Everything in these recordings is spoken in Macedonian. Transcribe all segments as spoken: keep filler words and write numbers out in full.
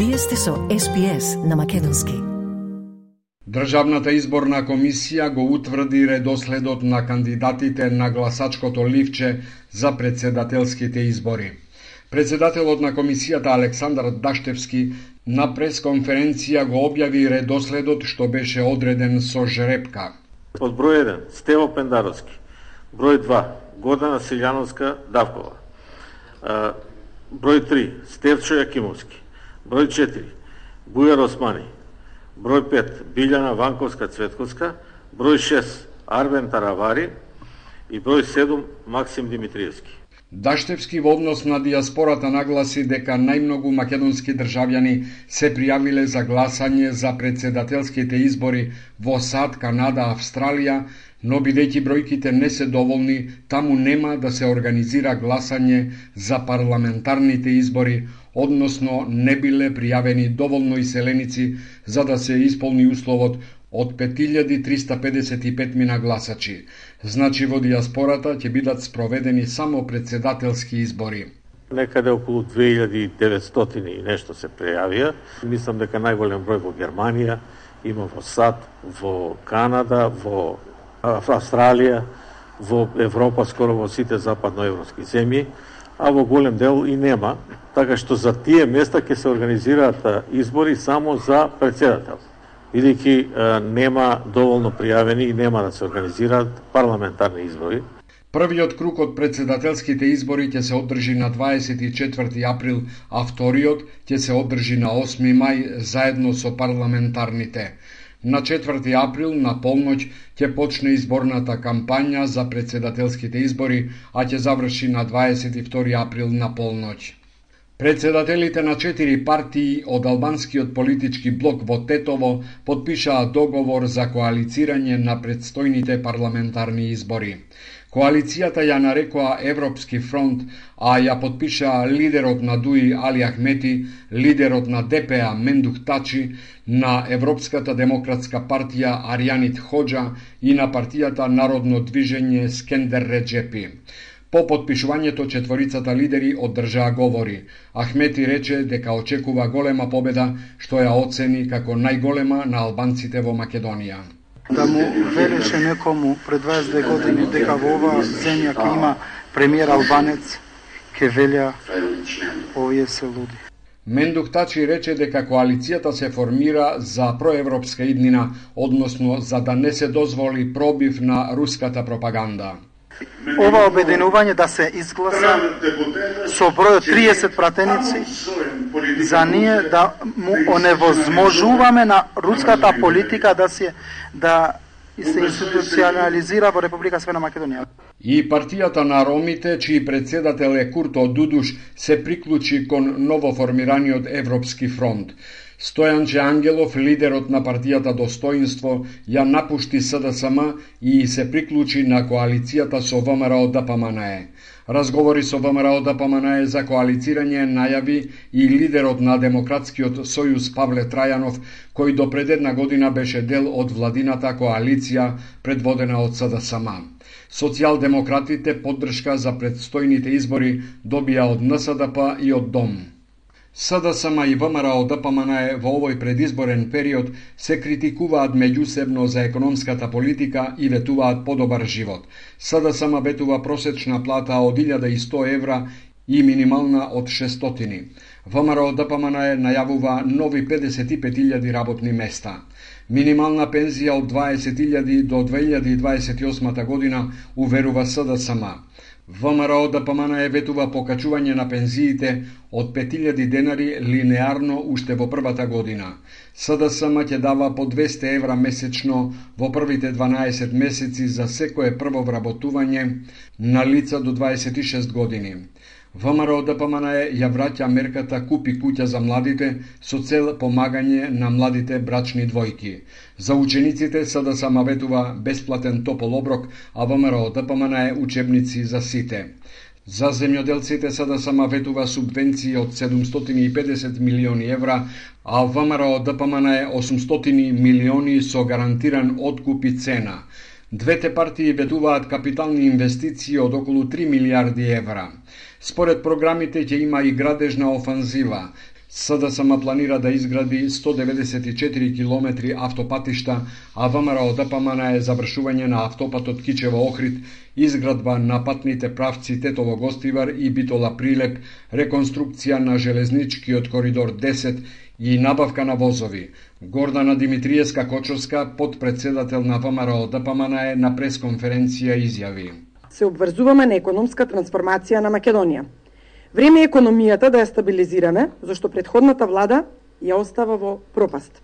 Вие сте со Ес Би Ес на Македонски. Државната изборна комисија го утврди редоследот на кандидатите на гласачкото ливче за председателските избори. Председателот на комисијата Александар Даштевски на пресконференција го објави редоследот што беше одреден со жребка. Од број еден Стево Пендаровски, број два Гордана Силјановска Давкова, број три Стевчо Јакимовски, број четири Бујар Османи, број пет Билјана Ванковска Цветковска, број шест Арвен Таравари и број седум Максим Димитриевски. Даштевски во однос на диаспората нагласи дека најмногу македонски државјани се пријавиле за гласање за председателските избори во САД, Канада, Австралија, но бидејќи бројките не се доволни, таму нема да се организира гласање за парламентарните избори, односно не биле пријавени доволно иселеници за да се исполни условот од пет илјади триста педесет и пет мина гласачи. Значи во диаспората ќе бидат спроведени само председателски избори. Некаде околу две илјади и деветстотини и нешто се пријавија. Мислам дека најголем број во Германија, има во САД, во Канада, во Австралија, во Европа, скоро во сите западноевропски земји, а во голем дел и нема, така што за тие места ќе се организираат избори само за председател, бидејќи нема доволно пријавени и нема да се организираат парламентарни избори. Првиот круг од председателските избори ќе се одржи на дваесет и четврти април, а вториот ќе се одржи на осми мај заедно со парламентарните. На четврти април на полноќ ќе почне изборната кампања за председателските избори, а ќе заврши на дваесет и втори април на полноќ. Председателите на четири партии од албанскиот политички блок во Тетово потпишаа договор за коалицирање на предстојните парламентарни избори. Коалицијата ја нарекоа Европски фронт, а ја потпишаа лидерот на ДУИ Али Ахмети, лидерот на Де Пе А Мендух Тачи, на Европската демократска партија Арјанит Хоџа и на партијата Народно движење Скендер Реджепи. По потпишувањето четворицата лидери одржаа говори. Ахмети рече дека очекува голема победа, што ја оцени како најголема на албанците во Македонија. Да му велеше некому пред дваесет и две години дека во оваа земја ќе има премиер албанец, ќе велја овие се луди. Мендух Тачи рече дека коалицијата се формира за проевропска иднина, односно за да не се дозволи пробив на руската пропаганда. Ова обединување да се изгласа со број триесет пратеници за ние да му оневозможуваме на руската политика да се да се институционализира во Република Северна Македонија. И партијата на ромите, чиј председател е Курто Дудуш, се приклучи кон новоформираниот Европски фронт. Стојанче Ангелов, лидерот на партијата Достоинство, ја напушти С Д С М и се приклучи на коалицијата со В М Р О Д П М Н Е. Разговори со В М Р О Д П М Н Е за коалицирање најави и лидерот на Демократскиот сојуз Павле Трајанов, кој до пред една година беше дел од владината коалиција предводена од С Д С М. Социјалдемократите поддршка за предстојните избори добија од Н С Д П и од Дом. С Д С М и В М Р О Д П М Н Е во овој предизборен период се критикуваат меѓусебно за економската политика и ветуваат подобар живот. С Д С М ветува просечна плата од илјада и сто евра и минимална од шестстотини. В М Р О Д П М Н Е најавува нови педесет и пет илјади работни места. Минимална пензија од дваесет илјади до две илјади и дваесет и осма година, уверува С Д С М. В М Р О Д П М Н Е ветува покачување на пензиите од пет илјади денари линеарно уште во првата година. С Д С М ќе дава по двесте евра месечно во првите дванаесет месеци за секое прво вработување на лица до дваесет и шест години. В М Р О Д П М Н Е ја враќа мерката Купи куќа за младите со цел помагање на младите брачни двојки. За учениците С Д С М ветува бесплатен топол оброк, а В М Р О Д П М Н Е учебници за сите. За земјоделците С Д С М ветува субвенции од седумстотини и педесет милиони евра, а В М Р О Д П М Н Е осумстотини милиони со гарантиран откуп и цена. Двете партии ветуваат капитални инвестиции од околу три милиарди евра. Според програмите ќе има и градежна офанзива. СДСМ планира да изгради сто деветдесет и четири километри автопатишта, а ВМРО ДПМН е завршување на автопатот Кичево-Охрид, изградба на патните правци Тетово-Гостивар и Битола-Прилеп, реконструкција на железничкиот коридор десет и набавка на возови. Гордана Димитриевска-Кочовска, подпредседател на ВМРО ДПМН, е на пресконференција изјави: Се обврзуваме на економска трансформација на Македонија. Време е економијата да ја стабилизираме, зашто предходната влада ја остава во пропаст.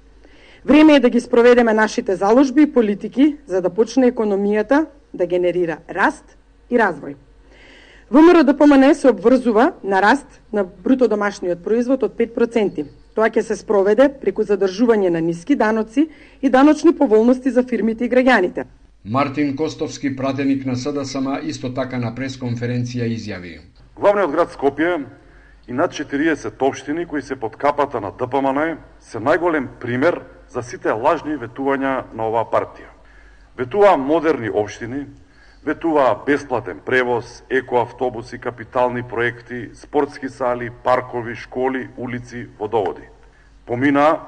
Време е да ги спроведеме нашите заложби и политики за да почне економијата да генерира раст и развој. ВМРО ДПМН се обврзува на раст на бруто домашниот производ од пет проценти. Тоа ќе се спроведе преку задржување на ниски даноци и даночни поволности за фирмите и граѓаните. Мартин Костовски, пратеник на СДСМ, исто така на пресконференција изјави: Главниот град Скопје и над четириесет општини кои се под капата на ДПМН се најголем пример за сите лажни ветувања на оваа партија. Ветуваа модерни општини, ветуваа бесплатен превоз, екоавтобуси, капитални проекти, спортски сали, паркови, школи, улици, водоводи. Поминаа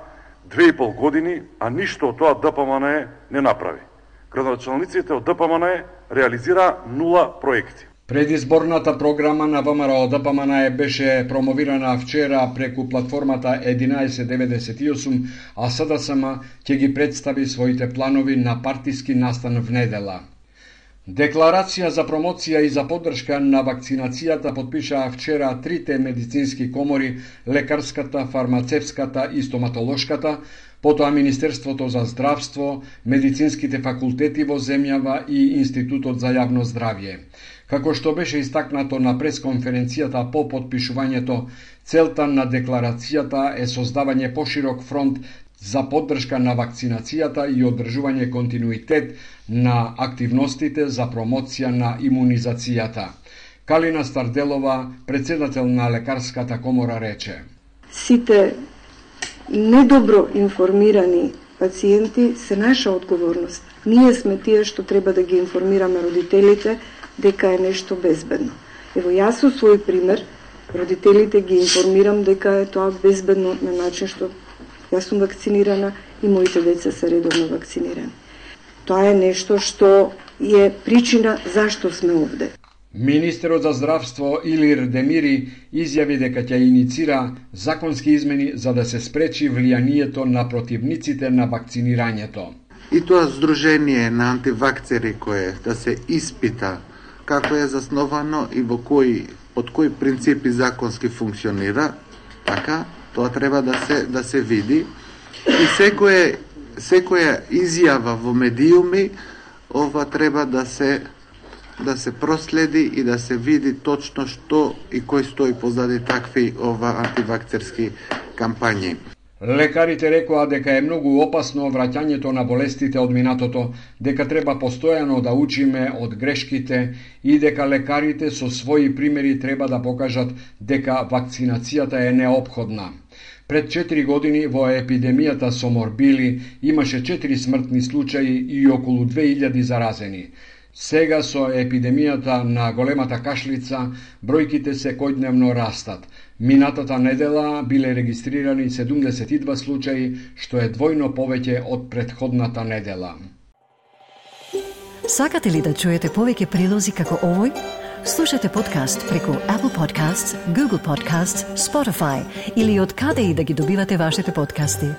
две и пол години, а ништо од тоа ДПМН не направи. Градоначалниците од ДПМН реализира нула проекти. Предизборната програма на ВМРО ДПМН беше промовирана вчера преку платформата единаесет деветдесет и осум, а СДСМ ќе ги представи своите планови на партиски настан в недела. Декларација за промоција и за поддршка на вакцинацијата подпишаа вчера трите медицински комори, лекарската, фармацевската и стоматолошката, потоа Министерството за здравство, медицинските факултети во земјава и Институтот за јавно здравје. Како што беше истакнато на пресконференцијата по подпишувањето, целта на декларацијата е создавање поширок фронт за поддршка на вакцинацијата и одржување континуитет на активностите за промоција на имунизацијата. Калина Старделова, председател на Лекарската комора, рече: Сите недобро информирани пациенти се наша одговорност. Ние сме тие што треба да ги информираме родителите дека е нешто безбедно. Ево, јас со свој пример, родителите ги информирам дека е тоа безбедно на начин што јас сум вакцинирана и моите деца се редовно вакцинирани. Тоа е нешто што е причина зашто сме овде. Министерот за здравство Илир Демири изјави дека ќе иницира законски измени за да се спречи влијанието на противниците на вакцинирањето. И тоа здружение на антивакцери кое да се испита како е засновано и во кои под кои принципи законски функционира, така тоа треба да се да се види и секоја секоја изјава во медиуми ова треба да се да се проследи и да се види точно што и кој стои позади такви ова антивакцерски кампањи. Лекарите рекоа дека е многу опасно враќањето на болестите од минатото, дека треба постојано да учиме од грешките и дека лекарите со своји примери треба да покажат дека вакцинацијата е неопходна. Пред четири години во епидемијата со морбили имаше четири смртни случаи и околу две илјади заразени. Сега со епидемијата на големата кашлица бројките секојдневно растат. Минатата недела биле регистрирани седумдесет и два случаи, што е двојно повеќе од претходната недела. Сакате ли да чуете повеќе прилози како овој? Слушате подкаст преку Apple Podcasts, Google Podcasts, Spotify или од каде и да ги добивате вашите подкасти.